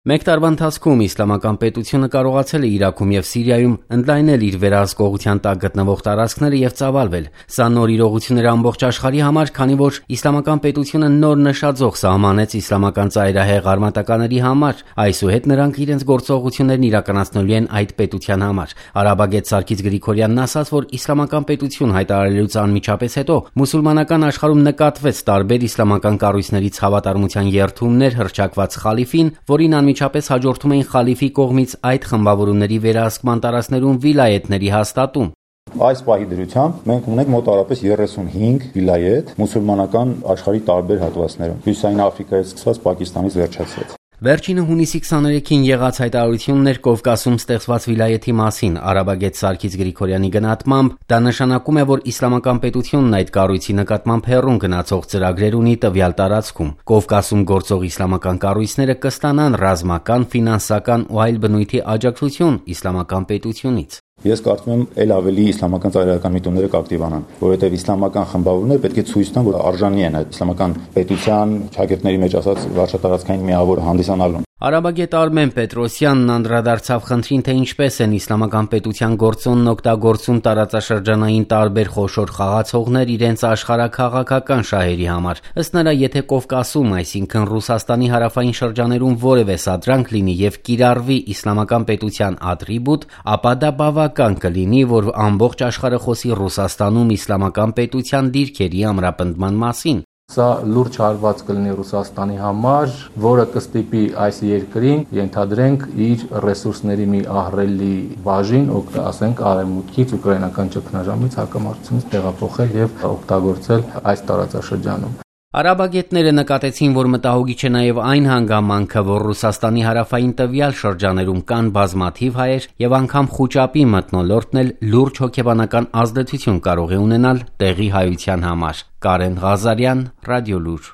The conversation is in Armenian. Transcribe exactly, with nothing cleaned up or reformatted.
Մեկ տարվա ընթացքում իսլամական պետությունը կարողացել է Իրաքում և Սիրիայում ընդլայնել իր վերահսկողության տակ գտնվող տարածքները և ծավալվել։ Սա նոր իրողություն էր ամբողջ աշխարհի համար, քանի որ իսլամական պետությունը նոր նշաձող սահմանեց իսլամական ծայրահեղ արմատականների համար, այսուհետ նրանք իրենց գործողություններն իրականացնելու են այդ պետության համար։ Արաբագետ Սարգիս Գրիգորյանն ասաց, որ իսլամական պետություն հայտարարելուց անմիջապես հետո մուսուլմանական աշխարհում նկատվեց տարբեր իսլամական կառույցներից հավատարմության երդումներ հռչակված խալիֆին, որին անմիջապես հաջորդում էին խալիֆի կողմից այդ խմբավորումների վերահսկման տարածքներում վիլայեթների հաստատում։ Այս պահի դրությամբ մենք ունենք մոտավորապես երեսունհինգ վիլայեթ մուսուլմանական աշխարհի տարբեր հատվածներում, Հյուսիսային Աֆրիկայից սկսած Պակիստանից վերջացրած։ Վերջինը հունիսի քսաներեքին եղած հայտարարությունն էր Կովկասում ստեղծված վիլայեթի մասին։ Արաբագետ Սարգիս Գրիգորյանի գնահատմամբ դա նշանակում է, որ իսլամական պետությունն այդ կառույցի նկատմամբ հեռուն գնացող ծրագրեր ունի տվյալ տարածքում։ Կովկասում գործող իսլամական կառույցները կստանան ռազմական, ֆինանսական ու այլ բնույթի աջակցություն իսլամական պետությունից։ Ես կարծում եմ, ել ավելի իսլամական ծայրահեղական միտումները կակտիվանան, որովհետև իսլամական խմբավորումները պետք է ցույց տան, որ արժանի են այդ իսլամական պետության ճակերտների մեջ ասած վարչատարածքային միավորը հանդիսանալուն։ Արաբագետ Արմեն Պետրոսյանն անդրադարձավ խնդրին, թե ինչպես են իսլամական պետության գործոնն օգտագործում տարածաշրջանային տարբեր խոշոր խաղացողներ իրենց աշխարհաքաղաքական շահերի համար։ Ըստ նրա, եթե Կովկասում, այսինքն Ռուսաստանի հարավային շրջաներում որևէ սադրանք լինի և կիրառվի իսլամական պետության ատրիբուտ, ապա դա բավական կլինի, որ ամբողջ աշխարհը խոսի Ռուսաստանում իսլամական պետության դիրքերի ամրապնդման մասին։ Սա լուրջ հարված կլինի Ռուսաստանի համար, որը կստիպի այս երկրին, ենթադրենք, իր ռեսուրսների մի ահռելի բաժին, ասենք արևմուտքից, ուկրաինական ճգնաժամից, հակամարտությունից տեղափոխել և օգտագործել այս տարածաշրջանում։ Արաբագետները նկատեցին, որ մտահոգիչ է նաև այն հանգամանքը, որ Ռուսաստանի հարավային տվյալ շրջաներում կան բազմաթիվ հայեր և անգամ խուճապի մթնոլորտն էլ լուրջ հոգեբանական ազդեցություն կարող է ունենալ տեղի հայության համար։ Կարեն Ղազարյան, Ռադիոլուր։